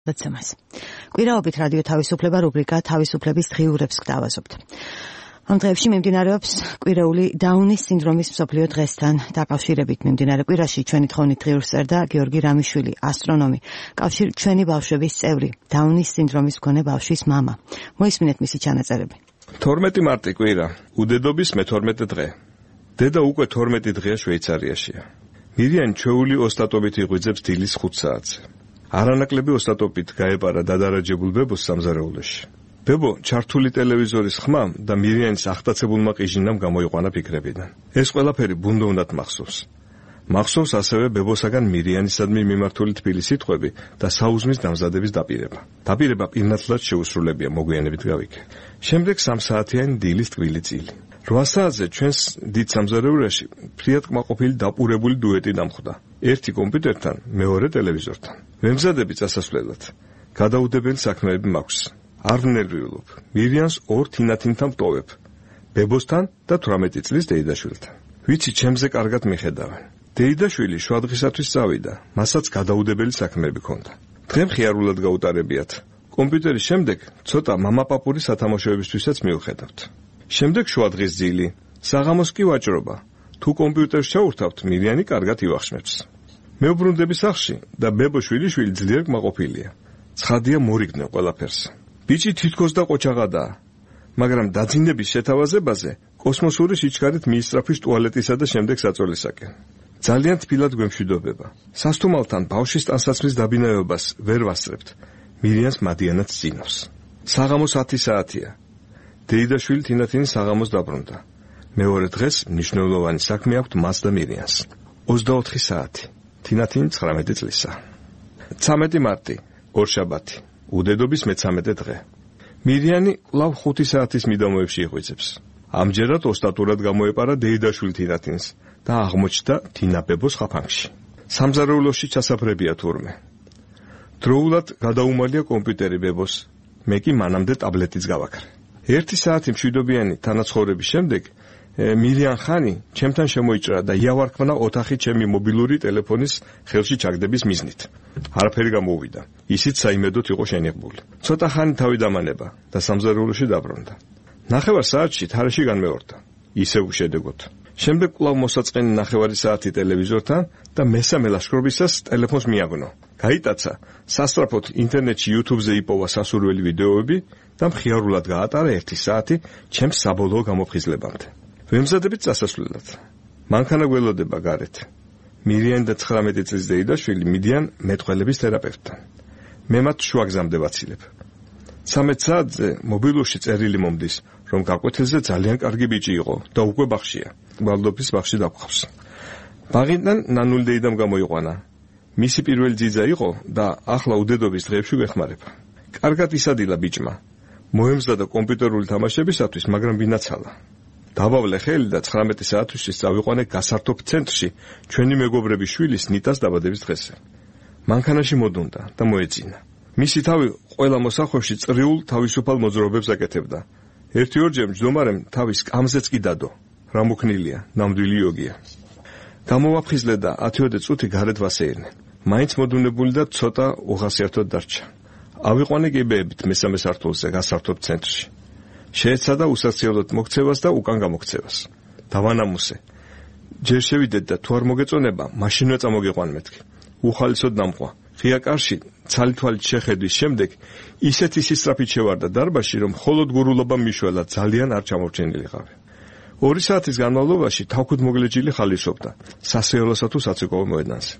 ლოცემას. კვირაობით რადიო თავისუფლება რუბრიკა თავისუფლების დღიურებს გთავაზობთ. ამ დღეებში მიმდინარეობს კვირეული დაუნის სინდრომის მსოფლიო დღესთან დაკავშირებით. მიმდინარე კვირაში ჩვენი თხოვნით დღიურს წერდა გიორგი რამიშვილი, ასტრონომი, კავშირ ჩვენი ბავშვების წევრი, დაუნის სინდრომის მქონე ბავშვის მამა. მოისმინეთ მისი ჩანაწერები. 12 მარტი კვირა, უდედობის მე-12 დღე. დედა უკვე 12 დღეა შვეიცარიაშია. მირიანი ჩვეული ოსტატობით იღვიძებს დილის 5 საათზე. არანაკლები ოსტატობით გაეპარა დადარაჯებულ ბებოს სამზარეულოში. ბებო ჩართული ტელევიზორის ხმამ და მირიანის ახტაცებულმა ყიჟინამ გამოიყვანა ფიქრებიდან. ეს ყველაფერი ბუნდოვნად მახსოვს. მახსოვს ასევე ბებოსაგან მირიანისადმი მიმართული თბილი სიტყვები და საუზმის დამზადების დაპირება. დაპირება პირნათლად შეუსრულებია, მოგვიანებით გავიქე. შემდეგ 3 საათიანი დილის ტკბილი წილი. 8 საათზე ჩვენს დიდ სამზარეულოში ფრიად კმაყოფილი დაპურებული დუეტი დამხვდა. ერთი კომპიუტერთან, მეორე ტელევიზორთან. ვემზადები წასასვლელად. გადაუდებელი საქმეები მაქვს. არ ვნერვიულობ. მირიანს 2 თინათინთან ვტოვებ. ბებოსთან და 18 წლის დეიდაშვილთან. ვიცი, ჩემზე კარგად მიხედავენ. დეიდაშვილი შვადღისათვის წავიდა, მასაც გადაუდებელი საქმეები ჰქონდა. დღე მხიარულად გაუტარებიათ. კომპიუტერის შემდეგ ცოტა მამაპაპური სათამაშოებისთვისაც მივხედავთ. შემდეგ შვადღის ძილი, საღამოს კი ვაჭრობა. თუ კომპიუტერს ჩაურთავთ, მირიანი კარგად ივახშმებს. მე ვბრუნდები სახლში და ბებო შვილიშვილი ძლიერ კმაყოფილია. ცხადია მორიგდნენ ყველაფერს. ბიჭი თითქოს და ყოჩაღადაა, მაგრამ დაძინების შეთავაზებაზე კოსმოსური სიჩქარით მიისწრაფვის ტუალეტისა და შემდეგ საწოლისაკენ. ძალიან თბილად გვემშვიდობება. სასტუმალთან ბავშვის ტანსაცმლის დაბინავებას ვერ ვასწრებთ. მირიანს მადიანად წინავს. საღამოს 10 საათია. დეიდაშვილი თინათინი საღამოს დაბრუნდა. მეორე დღეს მნიშვნელოვანი საქმე აქვთ მას და მირიანს. 24 საათი. თინათინი 19 წლისაა. 13 მარტი, ორშაბათი. უდედობის მე-13 დღე. მირიანი კვლავ 5 საათის მიდამოებში იღვიძებს. ამჯერად ოსტატურად გამოეპარა დეიდაშვილი თინათინს და აღმოჩნდა თინაბებოს ხაფანგში. სამზარეულოში ჩასაფრებია თურმე. დროულად გადაუმალია კომპიუტერი ბებოს. მე კი მანამდე ტაბლეტიც გავაქრე. 1 საათი მშვიდობიანი თანაცხოვრების შემდეგ მირიან ხანი ჩემთან შემოიჭრა და იავარქმნა ოთახი ჩემი მობილური ტელეფონის ხელში ჩაგდების მიზნით. არაფერი გამოუვიდა. ისიც საიმედოდ იყო შენიღბული. ცოტა ხანი თავი დამანება და სამზარეულოში დაბრუნდა. 9 საათში თარეში განმეორდა. ისევ შედეგოთ. შემდეგ კვლავ მოსაწყენი 9 საათი ტელევიზორთან და მესამე ლაშქრობისას ტელეფონს მიაგნო. გაიტაცა, სასწრაფოდ ინტერნეტში YouTube-ზე იპოვა სასურველი ვიდეოები და მხიარულად გაატარა 1 საათი ჩემს საბოლოო გამოფხიზლებამდე. ვემზადებით წასასვლელად. მანქანა გველოდება გარეთ. მირიანი და 19 წლის დეიდაშვილი მიდიან მეტყველების თერაპევტთან. მე მათ შუაგზამდე ვაცილებ. 13 საათზე მობილურში წერილი მომდის, რომ გაკვეთილზე ძალიან კარგი ბიჭი იყო და უკვე ბაღშია. ვალდოფის ბაღში დაგხვავს. ბაღიდან ნანული დეიდამ გამოიყვანა. მისი პირველი ძიძა იყო და ახლა უდედობის დღეებში გვეხმარება. კარგად ისადილა ბიჭმა. მოემზადა კომპიუტერული თამაშებისათვის, მაგრამ ვინაცალა. დავავლე ხელი და 19 საათისთვის წავიყვანე გასართობ ცენტრში ჩვენი მეგობრების შვილის ნიტას დაბადების დღესზე. მანქანაში მოდუნდა და მოეძინა. მისი თავი ყველა მოსახვევში წრიულ თავისუფალ მოძრაობებს აკეთებდა. 1-2-ჯერ მჯდომარემ თავის კამზეც კი დადო. რა მოქნილია, ნამდვილი იოგია. გამოვაფხიზლე და 10 წუთი გარეთ ვასეირნე. მაინც მოდუნებული და ცოტა უხასიათოდ დარჩა. ავიყვანე გებეებით მესამე სართულზე გასართობ ცენტრში. შეეცადა უსახსიალოდ მოქცევას და უკან გამოქცევას. დავანამუსე. ჯერ შევიდეთ და თუ არ მოგეწონება, მაშინვე წამოგიყვან მეთქი. უხალისოდ დამყვა. ღია კარში ცალითვალით შეხედვის შემდეგ ისეთი სისწრაფით შევარდა დარბაზში, რომ მხოლოდ გურულობა მიშველა, ძალიან არ ჩამორჩენილიყავი. 2 საათის განმავლობაში თავქუდ მოგლეჯილი ხალისობდა. სასეოლოსა თუ საცეკვაო მოედანზე.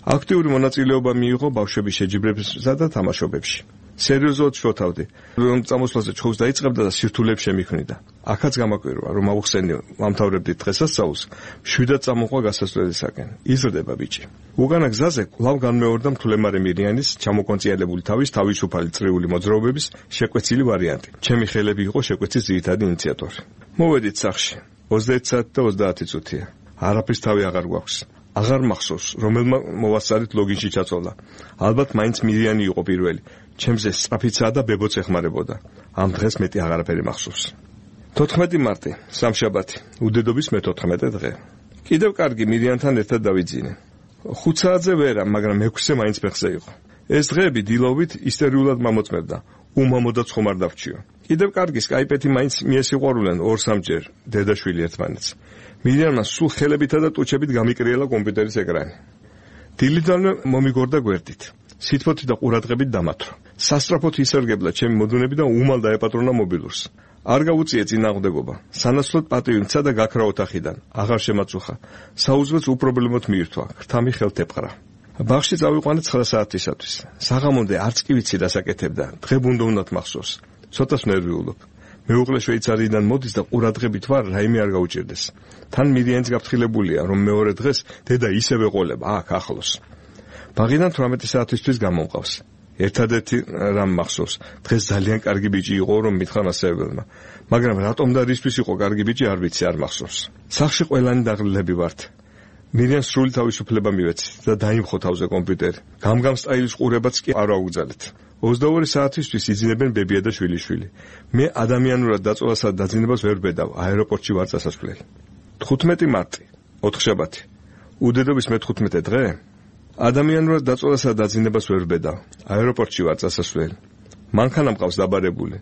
აქტიური მონაწილეობა მიიღო ბავშვების შეჯიბრებებსა და თამაშობებში. სერიოზულად შოთავდი, რომ წამოსვლაზე ჩხუბს დაიწყებდა და სირთულეებს შემიქმნიდა. აქაც გამაკვირვა, რომ აუხსენიო მამთავრებდი დღესასწაულს, მშვიდად წამოყვა გასასვლელისაკენ. იზრდება ბიჭი. უკანა გზაზე კვლავ განმეორდა მთლემარე მირიანის ჩამოკონციელებული თავის თავისუფალი წრიული მოძრაობების შეკვეცილი ვარიანტი. ჩემი ხელები იყო შეკვეცის ძირითადი ინიციატორი. მოვედით სახლში. 21 საათი და 30 წუთია. არაფრის თავი აღარ გვაქვს. აღარ მახსოვს, რომელმა მოვასწარით ლოგინში ჩაწოლა. ალბათ მაინც მირიანი იყო პირველი. ჩემზე სწრაფიცაა და ბებოც ეხმარებოდა. ამ დღეს მეტი აღარაფერი მახსოვს. 14 მარტი, სამშაბათი, უდედობის მე-14 დღე. კიდევ კარგი მირიანთან ერთად დავიძინე. 5 საათზე ვერა, მაგრამ 6-ზე მაინც ფეხზე იყო. ეს დღეები დილობით ისტორიულად მომოწმებდა. უმამოდაც ხომ არ დავჩიო. კიდევ კარგი სკაიპეთი მაინც მიესიყვარულენ 2-3 დედაშვილი ერთმანეთს. მირიანმა სულ ხელებითა და ტუჩებით გამიკრიელა კომპიუტერის ეკრანი. დილიდანვე მომიგორდა გვერდით. სითბოთი და ყურადღებით დამათრო. სასწრაფოდ ისერგებლა ჩემი მოდუნები და უმალ დაეპატრონა მობილურს. არ გაუწიე წინააღმდეგობა. სანაცვლოდ პატივი მცა და გაქრა ოთახიდან. აღარ შემაწუხა. საუზმეც უპრობლემოდ მიირთვა. ხრთამი ხელთეპყრა. ბაღში წავიყვანე 9 საათისათვის. საღამომდე არც კი ვიცი რასაკეთებდა. დღებუნდოვნად მახსოვს. ცოტას ნერვიულობ. მეუღლე შვეიცარიიდან მოდის და ყურადღებით ვარ, რაიმე არ გაუჭირდეს. თან მირიანიც გაფრთხილებულია, რომ მეორე დღეს დედა ისევე ყოლება, აქ ახლოს. ბაღიდან 18 საათისთვის გამომყავს. ერთადერთი რამ მახსოვს, დღეს ძალიან კარგი ბიჭი იყო, რომ მითხრა მასწავლებელმა. მაგრამ რატომ და რისთვის იყო კარგი ბიჭი, არ ვიცი, არ მახსოვს. სახლში ყველანი დაღლილები ვართ. მირიანს სრული თავისუფლება მივეცით და დაიმხო თავზე კომპიუტერი. გამგამ სტაილის ყურებაც კი არ აუგზალეთ. 22 საათისთვის იძინებენ ბებია და შვილიშვილი. მე ადამიანურად დაწოლასა და დაძინებას ვერ ვბედავ, აეროპორტში ვარ წასასვლელი. 15 მარტი, ოთხშაბათი. უდედობის მე-15 დღე. ადამიანურად დაწოლასა და დაძინებას ვერ ვბედავ, აეროპორტში ვარ წასასვლელი. მანქანა მყავს დაბარებული.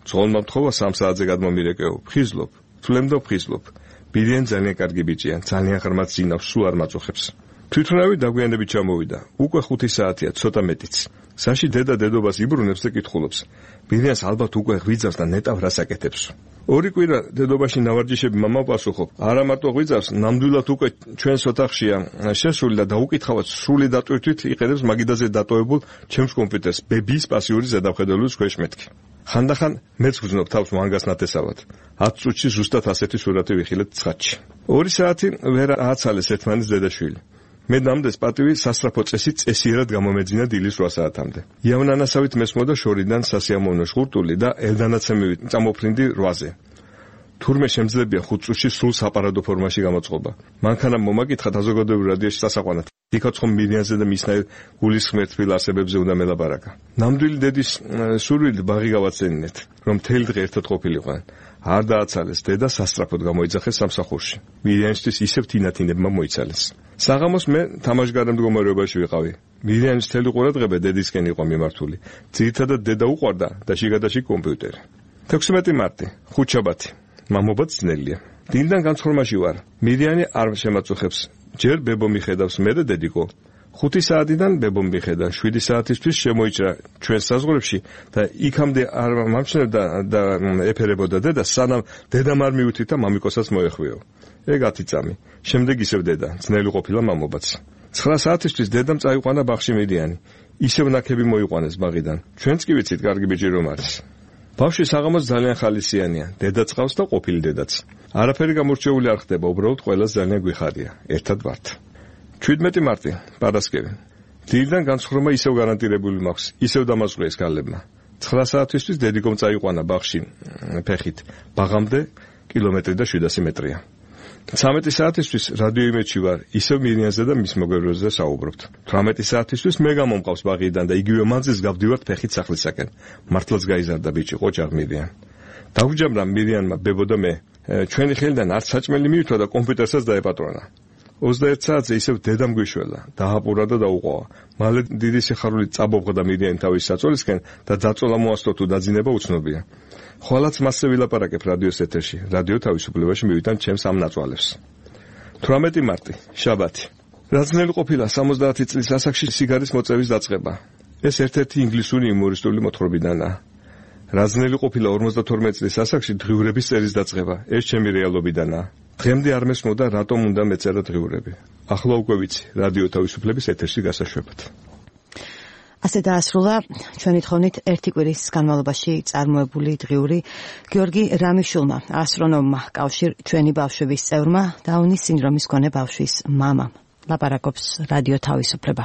ძღოლმა მთხოვა 3 საათზე გადმომირეკეო, ფხიზლობ, თვლემ და ფხიზლობ. მირიან ძალიან კარგი ბიჭია, ძალიან ღრმად ძინავს, სულ არ მაწუხებს. თვითონავი დაგვიანებით ჩამოვიდა. უკვე 5 საათია, ცოტა მეტიც. საში დედა დედობას იბრუნებს და კითხულობს. მირიანს ალბათ უკვე ღვიძავს და ნეტავ რასაკეთებს. 2 კვირა დედობაში ნავარჯიშები მამა პასუხობ. არა მარტო ღვიძავს, ნამდვილად უკვე ჩვენს ოთახშია შესული და დაუკითხავად სრული დატვირთვით იყენებს მაგიდაზე დატოვებულ ჩემს კომპიუტერს, ბებიის პასიური ზედამხედველობის ქვეშ მეთქი. ხანდახან მეც ვგრძნობ თავს მანგას ნათესავად. 10 წუთში ზუსტად ასეთი სურათი ვიხილეთ ცხადში. 2 საათი ვერ ააცალეს ერთმანეთს დედაშვილი. მე ნამდვილ პატივი სასწრაფო წესით წესიერად გამომეძინა დილის 8 საათამდე. იავნანასავით მესმოდა შორიდან სასიამოვნო შღურტული და ელდანაცემივით წამოფრინდი 8-ზე. თურმე შემძლებია 5 წუთში სულ საპარადო ფორმაში გამოწყობა. მანქანამ მომაკითხა საზოგადოებრივ რადიოში სასაყვანად. იქაც ხომ მირიანზე და მისნაირ გულისხმერ თბილ არსებებზე უნდა მელაპარაკა. ნამდვილი დედის სურვილი ბაღი გავაცენინეთ, რომ მთელი დღე ერთად ყოფილიყვნენ. არ დააცალეს დედა სასწრაფოდ გამოიძახეს სამსახურში. მირიანისთვის ისევ თინათინებმა მოიცალეს. საღამოს მე თამაშგარე მდგომარეობაში ვიყავი. მირიანის მთელი ყურადღება დედისკენ იყო მიმართული. ძირითადად დედა უყვარდა და შიგადაშიგ კომპიუტერი. 16 მარტი, ხუთშაბათი. მამობაც ძნელია. დილიდან განცხრომაში ვარ. მირიანი არ შემაწუხებს. ჯერ ბებო მიხედავს მე და დედიკო. 5 საათიდან ბებო მიხედა, 7 საათისთვის შემოიჭრა ჩვენს საზღვრებში და იქამდე არ მომჩნევდა და ეფერებოდა დედა, სანამ დედამ არ მიუთითა მამიკოსაც მოეხვიო. ეგ 10 წამი. შემდეგ ისევ დედა, ძნელი ყოფილა მამობაც. 9 საათისთვის დედამ წაიყვანა ბაღში მირიანი. ისევ ნაქები მოიყვანეს ბაღიდან. ჩვენც კი ვიცით კარგი ბიჭი რომ არის. ბავშვი საღამოს ძალიან ხალისიანია, დედა წავს და ყოფილი დედაც. არაფერი გამორჩეული არ ხდება, უბრალოდ ყველას ძალიან გვიხარია. ერთად ვართ. 17 მარტი, პარასკევი. დილიდან განცხრომა ისევ გარანტირებული მაქვს, ისევ დამაზღვიეს გალებმა. 9 საათისთვის დედიკომ წაიყვანა ბაღში ფეხით. ბაღამდე კილომეტრი და 700 მეტრია. 13 საათისთვის რადიო იმედში ვარ, ისევ მირიანზე და მის მოგებრულზე საუბრობთ. 18 საათისთვის მე გამომყავს ბაღიდან და იგივე მანძილს გავდივართ ფეხით სახლისაკენ. მართლაც გაიზარდა ბიჭი, ყოჭაღ მირიან. დაგვიჯამრა მირიანმა ბებო და მე. ჩვენი ხელიდან არც საჭმელი მიირთვა და კომპიუტერსაც დაეპატრონა. 21 საათზე ისევ დედამ გვიშველა, დააპურა და დაუყოვა. მალე დიდი სიხარული წაბობღდა მირიანი თავის საწოლისკენ და დაწოლა მოასწრო თუ დაძინება უცნობია. ხვალაც მასზე ვილაპარაკებ რადიოს ეთერში. რადიო თავისუფლებაში მივიტან ჩემს ამ ნაწვალებს. 18 მარტი, შაბათი. რაცნელი ყოფილა 70 წლის ასაკში სიგარის მოწევის დაწყება. ეს ერთ-ერთი ინგლისური იუმორისტული მოთხრობიდანაა. რაცნელი ყოფილა 52 წლის ასაკში დღიურების წერის დაწყება. ეს ჩემი რეალობიდანაა. დღემდე არ მესმოდა რატომ უნდა მეწერა დღიურები. ახლა უკვე ვიცი, რადიო თავისუფლების ეთერში გასაშვებად. ასე დაასრულა ჩვენი თხოვნით ერთი კვირის განმავლობაში წარმოებული დღიური გიორგი რამიშულმა, ასტრონომმა, კავშირ ჩვენი ბავშვების წევრმა, დაუნის სინდრომის მქონე ბავშვის მამამ. ლაპარაკობს რადიო თავისუფლება.